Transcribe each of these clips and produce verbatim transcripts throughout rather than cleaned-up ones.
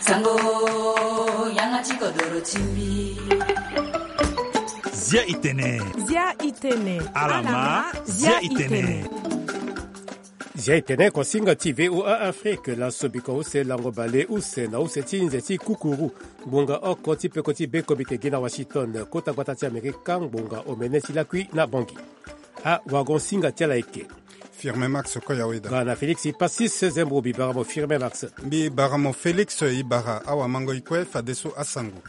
Sango, yanga ti kodoro ti mbi. Zia i tene. Zia i tene. Alama, zia i tene. Zia i tene, kosinga ti V O A Afrique, laso biko use lango bale use na use ti nze ti kukuru. Ngbonga oko ti peko ti be komite gi na Washington, kota gbata ti Amerika, ngbonga omene ti lakui na Bangui. Awagon singa ti ala eke. Firme Max Koyaweda. Ga na Félix Passis Zembro, mbi bara mo Firme Max. Mbi bara mo Félix, i bara awamango i kue fadeso asango.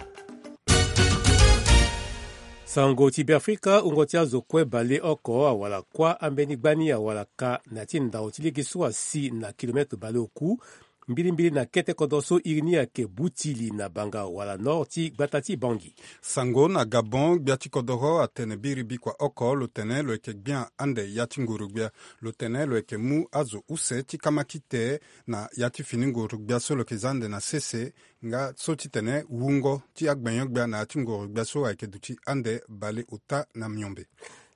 Sango ti Beafrika, wungo ti azo kue bale oko awara kuâ ambeni gbani awara ka na ya ti ndau ti lege so asi na kilometre bale oku, mbilimbili na kete kodro so iri ni ayeke Butili na Banga wala nord ti gbata ti Bangui. Sango na Gabon, gbia ti kodoro atene biri bikua oko lo tene lo yeke gbia ande ya ti nguru-gbia. Lo tene lo yeke mu azo use ti kamakite na ya ti fini nguru-gbia so lo yeke za ande na sese, nga so titene wungo ti agbenyo-gbia na ya ti nguru-gbia so ayeke duti ande bale ota na miombe.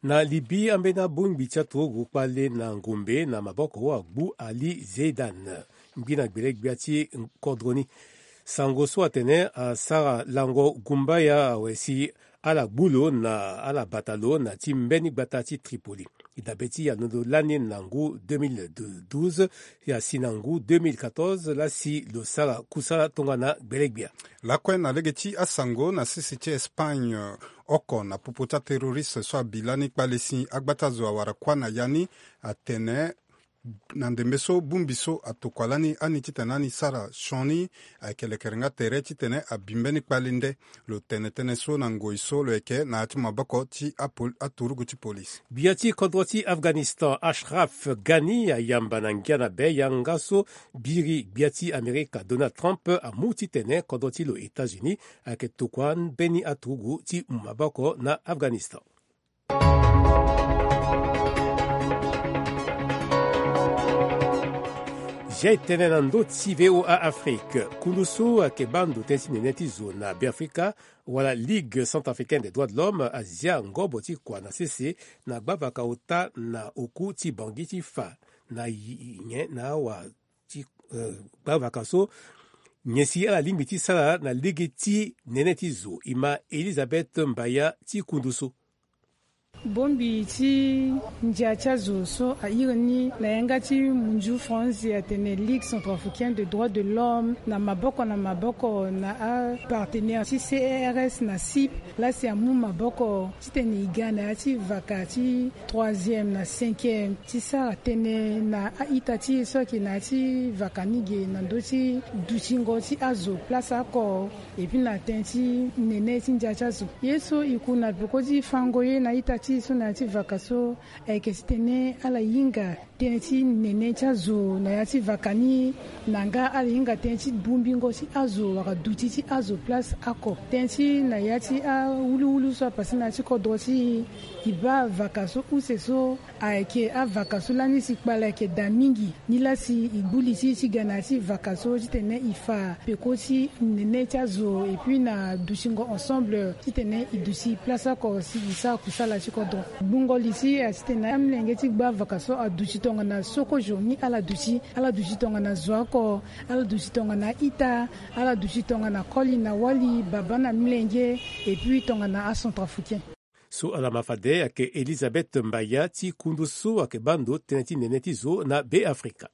Na Libye, ambeni abongbi ti aturugu kpale na ngombe na maboko agbu Ali Zeidan, ngbi na gbele-gbia ti kodro ni. Sango so atene asara lango gumbaya awe si ala gbu lo na ala bata lo na ti mbeni gbata ti Tripoli. E dabe ti alondo lani na ngu deux mille douze, e asi na ngu deux mille quatorze laa si lo sara kusala tongana gbele-gbia. Lakue na lege ti asango, na sese ti Espagne, oko na popo ti aterroriste so abi lani kpale si agbata zo awara kuâ na ya ni, atene na ndembe so bongbi so atokua lani ani titene ani sara sioni, ayeke lekerenga tere titene abi mbeni kpale nde. Lo tene tënë so na ngoi so lo yeke na ya ti maboko ti apol-, aturugu ti polise. Gbia ti kodro ti Afghanistan, Ashraf Ghani, ayamba na ngia na be yanga so biri gbia ti Amerika Donald Trump amu titene kodro ti lo États-Unis ayeke tokua mbeni aturugu ti mu maboko na Afghanistan. Zia e tene na ndö ti V O A Afrique. Kundu so ayeke baa ndo tënë ti nene ti zo na Beafrika, wala Ligue Centrafricaine des Droits de l'Homme, azia ngobo ti kua na sese na gbavaka ota na oku ti Bangui ti fa na yi-, nyen na awa ti, eh, gbavaka so, nyen si ala lingbi ti sara na lege ti nene ti zo. E ma Elisabeth Mbaya ti kundu so. Bongbi ti ndia ti azo so a iri ni na yanga ti munzu France atene Ligue Centrafricaine de Droits de l'Homme, na maboko na maboko na apartenaire ti C E R S na CIP, laa si amu maboko titene e ga na ya ti vaka ti troisième na cinquième ti sara tënë na a-ita ti e so ayeke na ya ti vaka ni ge na ndö ti dutingo ti azo place oko. Et puis na tënë ti nene ti ndia ti azo. Ye so e ku na peko ti fango ye na ita ti e so na ya ti vaka so, ayeke titene ala hinga tënë ti nene ti azo na ya ti vaka ni, na nga ala hinga tënë ti bongbingo ti azo wala duti ti azo place oko. Tënë ti na ya ti awuluwulu so apase na ya ti kodro ti e, e baa vaka so use so, ayeke avaka so lani si kpale ayeke daa mingi. Nilaa si e gbu li ti e ti ga na ya ti vaka so titene e fa peko ti nene ti azo, et puis na dutingo ensemble titene e duti place oko si e sara kusala ti kodro. Gbungo li ti e asi titene amolenge ti gba vaka so aduti tongana so kozo ni ala duti, ala duti tongana zo oko, ala duti tongana ita, ala duti tongana koli na wali, babâ na molenge, et puis tongana acentrafricain. So ala ma fade ayeke Elisabeth Mbaya ti kundu so ayeke baa ndo tënë ti nene ti zo na Beafrika.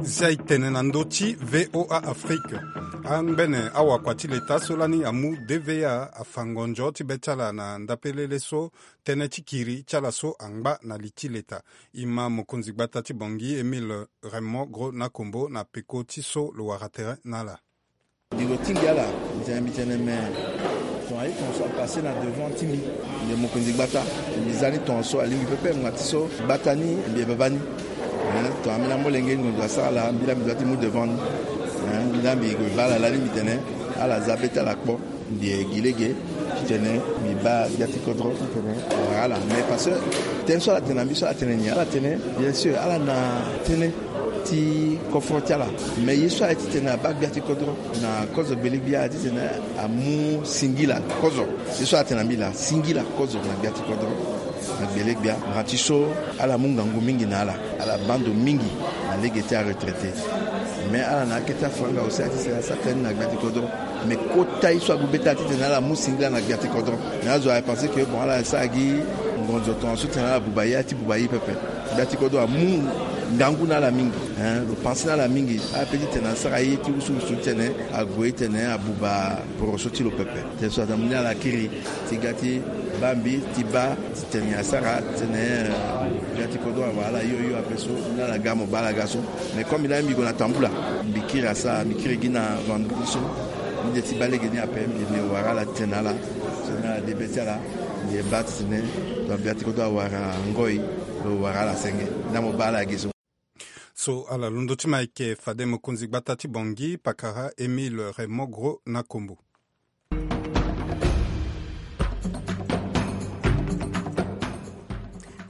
Zia e tene na ndö ti V O A Afrique. Angbene awakua ti leta so lani amu D V A afa ngonzo ti be ti ala na ndapelele so tënë ti kiri ti ala so angba na li ti leta. E ma mokonzi gbata ti Bangui Émile Raymond Gros Nakombo na peko ti so lo wara tere na ala. Mbi lo tingbi ala, mbi tene, mbi tene me, ton aye ton so apase na devant ti mbi. Mbi mokonzi gbata, mbi za ni ton so alingbi pepe, ngbanga ti so gbata ni mbi ye baba ni. Hein, ton ambeni amolenge ngonzo asara ala, mbi laa mbi doit ti mu devant ni. Hein, mbi laa mbi baa ala lani mbi tene ala za be ti ala kpo. Mbi ye gi lege titene mbi baa gbia ti kodro titene awara ala. Mais parce que tënë so ala tene na mbi so ala tene nyen? Ala tene, bien sûr, ala na tënë ti koforo ti ala. Mais ye so aye titene abaa gbia ti kodro na kozo gbele-gbia aye titene amu singila kozo. Ye so ala tene na mbi laa, singila kozo na gbia ti kodro. Na gbele gbia, na ti so ala mu ngangu mingi na ala. Ala baa ndo mingi na lege ti aretraité. Mais ala na akete afanga aussi ati sera sara tënë na gbia ti kodro. Mais kota ye so ague be taa titene ala mu singila na gbia ti kodro. Mais azo aye pensé que bon, ala sara gi ngonzo tongaso titene ala buba ye, ati buba ye pepe. Gbia ti kodro amu ngangu na ala mingi, hein, lo pensé na ala mingi. Ala pe titene asara ye ti wusuwusu titene ague titene abuba poroso ti lo pepe. Tënë so aza mu ni ala kiri ti ga ti baa mbi ti baa titene asara titene, eh, ga ti kodro awara ala yo yo ape so, ni ala ga mo baa ala ga so. Mais comme mbi laa mbi gue na tambula, mbi kiri asara, mbi kiri gi na vendredi so. Mbi de ti baa lege ni ape, mbi, mbi wara ala titene ala, so ni ala de be ti ala, mbi e baa titene, donc ga ti kodro awara ngoi, lo wara ala senge. Ni amo baa ala gi so. So ala londo ti ma ayeke fade mokonzi gbata ti Bangui, pakara Émile Raymond Gros na Kombo.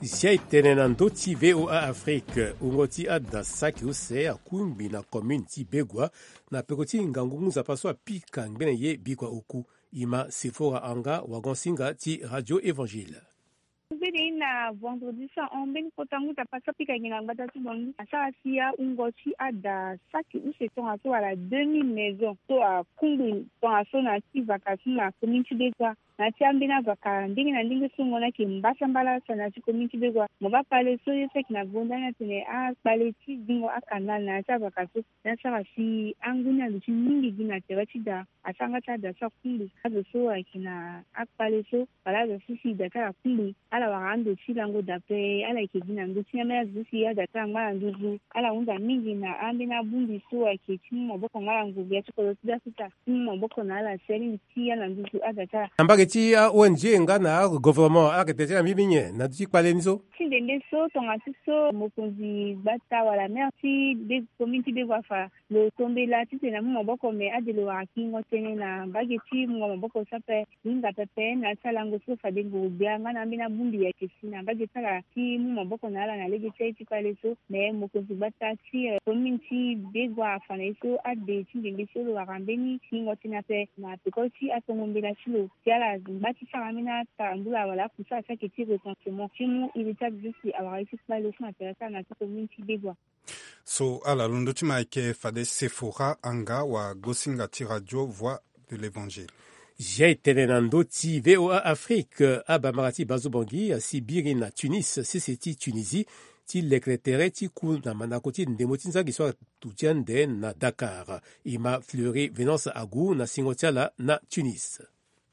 Zia e tene na ndö ti V O A Afrique, wungo ti ada saki use akungbi na commune ti Begua, na peko ti ngangu ngu nzapa so apika ngbene ye bikua oku. E ma Sephora Anga, wagon-singa ti Radio Évangile. Mbeni na vendredi so ahon mbeni kota ngu nzapa so apika gi na gbata ti Bangui, asara si ahungo ti ada saki use tongaso wala deux mille maison so akungbi tongaso na ya ti vaka so na commune ti Begua. Na ya ti ambeni avaka ndenge na ndenge so ngo ni ayeke mbasambala so na ya ti commune ti Begua. Mo baa kpale so ye so ayeke na gonda ni atene akpale ti zingo akanal na ya ti avaka so. Ni asara si angu ni aluti mingi gi na tere ti da. Asara nga ti ada so akungbi. Azo so ayeke na akpale so wala azo so si da ti ala akungbi, ala wara ando ti lango da ape. Ala yeke gi na ndö ti ni ambeni azo so si ada ti ala angba na nduzu. Ala hunda mingi na ambeni abongbi so ayeke ti mu maboko nga na ngurugbia ti kodro ti Beafrika ti mu maboko na ala si alingbi ti ya na nduzu ada ti ala. Na mbage ti a-O N G nga na agouvernement, ala yeke tene ti ala mingi mingi nyen na ndö ti kpale ni so? Ti ndembe so, tonga ti so mokonzi gbata wala maire ti Be-, commune ti Begua afa, lo tombela titene amu maboko, me ade lo wara kiringo tënë na mbage ti mungo maboko so ape. Lo hinga pepe na ya ti alango so fade ngurugbia nga na ambeni abongbi ayeke si na mbage ti ala ti mu maboko na ala na lege ti aye ti kpale so. Me mokonzi gbata ti, eh, commune ti Begua afa na ye so ade ti ndembe so lo wara mbeni kiringo tënë ape na peko ti atongo mbela ti lo si ala ngba ti sara ambeni atarambula wala akusara so ayeke ti recensement ti mu iri ti azo so si awara ye ti kpale so na tere ti ala na ya ti commune ti Begua. So ala londo ti ma ayeke fade Sephora Anga, wagosinga ti Radio Voix de l'Évangile. Zia e tene na ndö ti V O A Afrique, abamara ti Bazo Bangui asi biri na Tunis, sese ti Tunisie, ti lekere tere ti ku na mandako ti ndembo ti nzangi so atu ti ande na Dakar. E ma Fleury Venance Agou na singo ti ala na Tunis.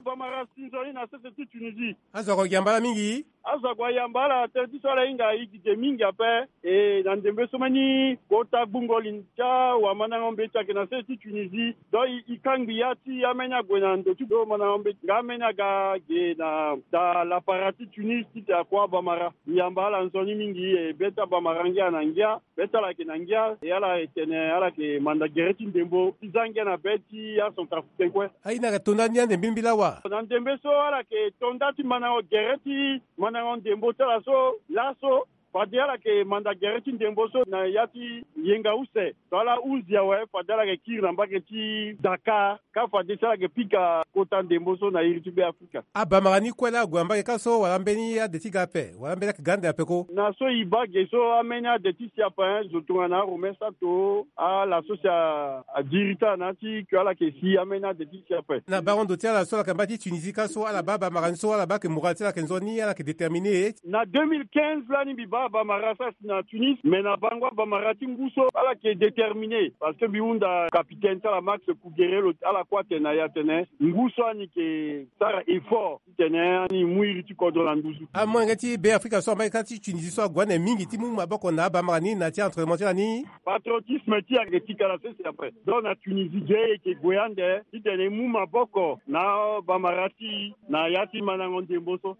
Bamara si nzoni na sese ti Tunisie. Azo ako gi yamba ala mingi? Azo ako ayamba ala, tere ti so ala hinga e gi ge mingi ape. E na ndembe so mbeni kota gbungo li ti awamandango mbeti ayeke na sese ti Tunisie. Donc e, e kangbi ya ti ambeni ague na ndo ti do mandango mbeti nga ambeni aga ge na da lapara ti Tunis titene akua Bamara. E yamba ala nzoni mingi, e be ti Abamara ngia na ngia. Be ti ala ayeke na ngia, e ala e tene ala yeke manda gere ti ndembo ti za ngia na be ti acentrafricain kue. Aye ni ayeke to nda ni ande mbimbila wa? Na ndembe so ala yeke to nda ti mandango gere ti mandango ndembo ti ala so laso, fade ala yeke manda gere ti ndembo so na ya ti yenga use. So ala hunzi awe, fade ala yeke kiri na mbage ti Dakar. Ka fade si ala yeke pika kota ndembo so na iri ti Beafrika. Abamara ni kue laa ague na mbage ka so wala ambeni ade ti ga ape, wala ambeni ayeke ga ande ape ko? Na so e baa ge so, ambeni ade ti si ape, eh, zo tongana aRomain Sato, ala so si a, adiri ti ala na ya ti ke ala yeke si ambeni ade ti si ape. Na bango ndo ti ala so ala yeke na mbage ti Tunisie ka so, ala baa Bamara ni so, ala baa ke moral ti ala ayeke nzoni, ala yeke déterminé? Na deux mille quinze lani mbi baa Bamara so asi na Tunis, me na bango Abamara ti ngu so ala yeke déterminé, parce que mbi hunda capitaine ti ala Max Kouguéré, lo ala kue atene na e atene ngu so ani yeke sara effort titene ani mu iri ti kodro na nduzu. Amolenge ti Beafrika so na mbage kâ ti Tunisie so ague ande mingi ti mu maboko na Abamara ni na ya ti entraînement ti ala ni? Patriotisme ti e ayeke ti kala sese ape. Donc na Tunisie ge e yeke gue ande titene e mu maboko na Bamara ti e na ya ti mandango ndembo so.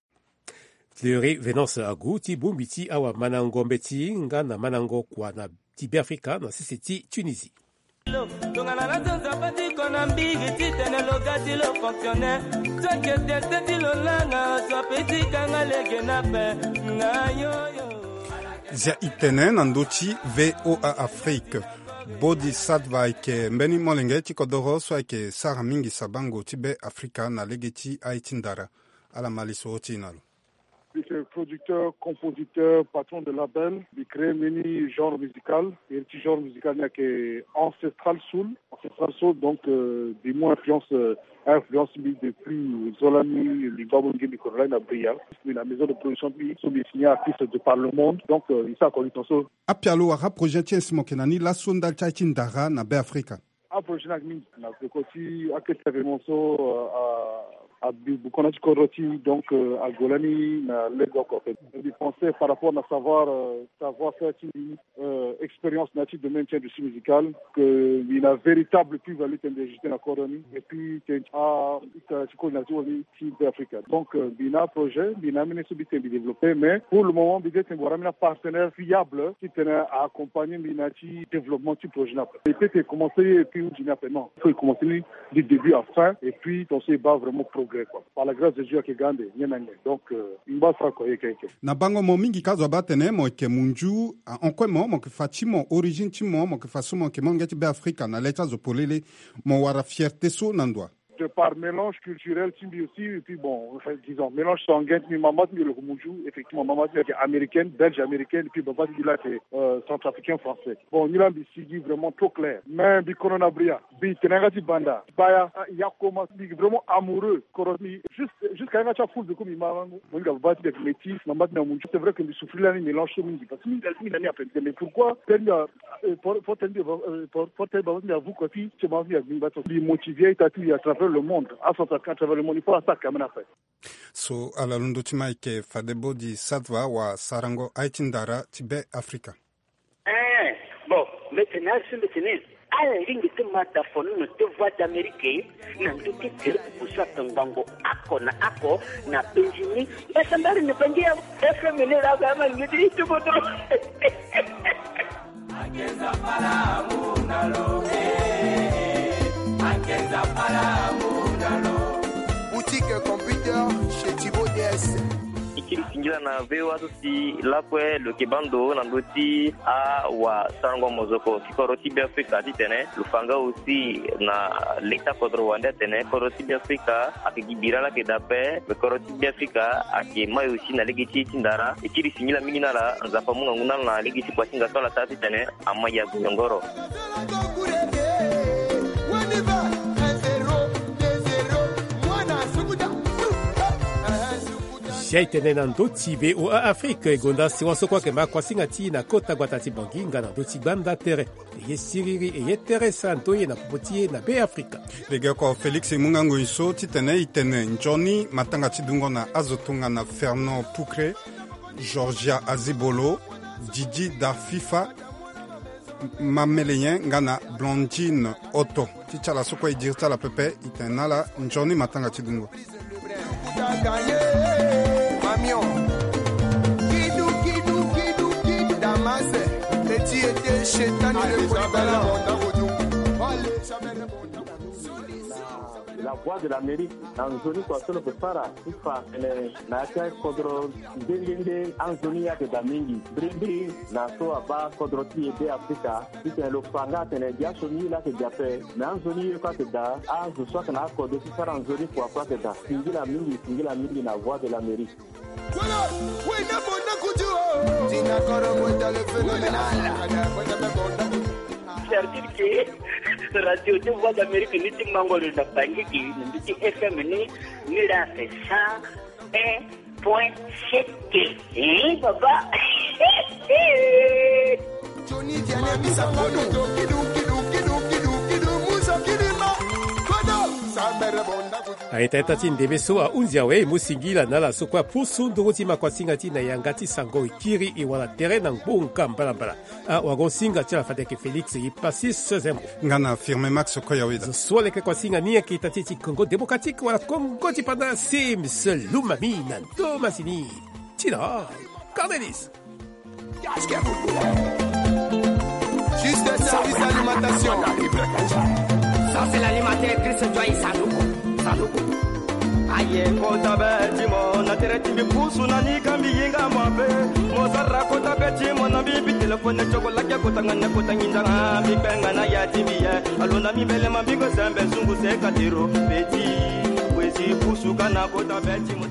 Fleury Venance Agou ti bongbi ti awamandango mbeti nga na mandango kua na ti Beafrika na sese ti Tunisie. Tongana na zonza patiko na mbiri titene lo ga ti lo fonctionnaire. Soki teste ti lo langa, so ape ti kanga lege na pe nga yoyo. Zia e tene na ndö ti V O A Afrique. Bodhisattva ayeke mbeni molenge ti kodoro so ayeke sara mingi sabango ti Beafrika na lege ti aye ti ndara. Ala ma lisoro ti e na lo. Mbi artiste, producteur, compositeur, patron de label. Mbi créé mbeni genre musical. Iri ti genre musical ni ayeke ancestral soul. Ancestral soul, donc, euh, mbi mu influence, euh, influence mbi depuis zo lani, mbi baa molenge mbi kodro lani na Bria. Mbi na maison de production mbi so mbi signé artiste de par le monde. Donc, euh, mbi sara corruption so. Apialo wala aprojet ti e si mo yeke na ni laso ndali ti aye ti ndara na Be Afrika? Aprojet ni ayeke mingi na peko ti akete événement so, euh, a, a, a bi bukona ti kodro ti, donc, euh, ague lani na lege oko ape. Mbi pensé par rapport na savoir, euh, savoir faire ti mbi, euh, expérience na ya ti domaine ti industrie musicale, que mbi na véritable plus-value ti mbi ajouté na kodro ni. Et puis tene ti a, ti coordination ti Be Afrika. Donc, euh, mbi na projet, mbi na ambeni so mbi tene mbi développé, mais pour le moment mbi tene mbi wara ambeni apartenaire fiable ti tene a accompagner mbi na ya ti développement ti projet ni ape. E peut te commencer ye et puis hundi ni ape, non. Il faut e commencer ni du début à fin et puis ton so e baa vraiment progrès, quoi. Par la grâce de Dieu ayeke ga ande nyen na nyen. Donc, euh, mbi baa sara kua yeke yeke. Na bango mo mingi ka azo abaa atene mo yeke munzu, ahon kue mo, mo yeke fa ti mo, origine ti mo, mo yeke fa so mo yeke molenge ti Be Afrika na le ti azo polele, mo wara fierté so na ndo wa? De par mélange culturel ti mbi aussi, et puis bon, enfin, disons, mélange sanguin ti mbi, mama ti mbi lo yeke munzu, effectivement, mama ti mbi ayeke américaine, belge américaine, et puis baba ti mbi la ayeke, euh, centrafricain français. Bon, ni la mbi sigi vraiment trop clair. Mais mbi kono na Bria, mbi tene yanga ti banda, baya, ah, ya koma, mbi vraiment amoureux, kodro ti mbi, juste, jusqu'à yanga ti afoul, mbi ku mbi ma, mo hinga baba ti mbi ayeke métis, mama ti mbi amunzu. C'est vrai que mbi souffrir lani mélange so mingi, parce que mbi, mbi na ni ape, mais pourquoi? Tene mbi a, euh, pour, pour tene mbi, euh, pour, pour tene baba ti mbi avu kua ti, ti mama ti mbi agbingba so. Mbi motivé ita ti mbi à travers le monde, acentrafricain à travers le monde, il faut asara quand même ape. So ala londo ti ma ayeke fade bodi Sadva wa sarango aye ti ndara ti Be Afrika. Eh, bon, mbi tene azo mbi tene ala lingbi ti ma da fonono ti Voix d'Amérique na ndö ti tere oku so ayeke ngbongo oko na oko na penzi ni. Basa mbari na bangi ya F M ni la ga ma ngi ti ti bodo. Boutique computer chez Thibaut D S. E kiri singila na V O A so si lakue lo yeke baa ndo na ndö ti awasarango mozoko ti kodro ti Be Afrika titene lo fa nga aussi na leta kodro wande atene kodro ti Be Afrika ayeke gi bira laa ayeke daa ape, me kodro ti Be Afrika ayeke mai aussi na lege ti e ti ndara. E kiri singila mingi na ala, Nzapa amu ngangu na ala na lege ti kua ti hinga so ala sara titene amai ague nyongoro. Zia e tene na ndö ti V O A Afrique, e gonda sewa so kue ayeke ma kuasinga ti e na kota gbata ti Bangui nga na ndö ti gbanda tere. E ye siriri, e ye tere sara ndö ye na popo ti e na Be Afrika. Legeoko Félix e mu nga ngoi so titene e tene nzoni matanga ti dungo na azo tongana Fernand Poucré, Georgia Azibolo, Didi Darfifa, Mameleyen nga na Blondine Otto. Ti ti ala so kue e diri ti ala pepe, e tene na ala nzoni matanga ti dungo. La Voix de l'Amérique, na nzoni kua so lo yeke sara ti fa tene na ya ti akodro nde nde nde anzoni ye ayeke daa mingi. Mbirimbiri na so abaa kodro ti e Be Afrika, titene lo fa nga atene gi asioni ye laa ayeke gi ape, me anzoni ye kue ayeke daa. Azo so ayeke na akodro ti sara nzoni kua kue ayeke daa. Singila mingi, singila mingi na Voix de l'Amérique. C'est-à-dire que radio ti Voix d'Amérique ni ti mango lo na Bangui, na ndö ti F M ni, ni la c'est cent un point sept. Eh, papa. Aita ita ti ndembe so ahunzi awe, e mu singila na ala so kue apusu nduru ti makuasinga ti e na yanga ti sango, e kiri e wara tere na ngbonga mbalambala. Ah, wagosinga ti ala fade ayeke Félix Ipasis Zembo. Nga na Firme Max Koyaweda. Zo so aleke kuasinga ni ayeke ita ti e ti Congo Démocratique wala Congo ti Panda, Sims Lumami na ndo masini. Ti la Cornelis. Juste service alimentation. Ça, c'est l'animateur Chris Joy Saluku. Saluku. Aye, kota be ti mo na tere ti mbi pusu na ni ka mbi hinga mabe. Mo sara kota be ti mo na mbi bi telefone tio ko lake kota nga ne kota nginza nga mbi kpe nga na ya ti mbi ye. Alo na mbi mbele ma mbi ko sembe sungu se ka tiro. Beti, wezi pusu ka na kota be ti mo.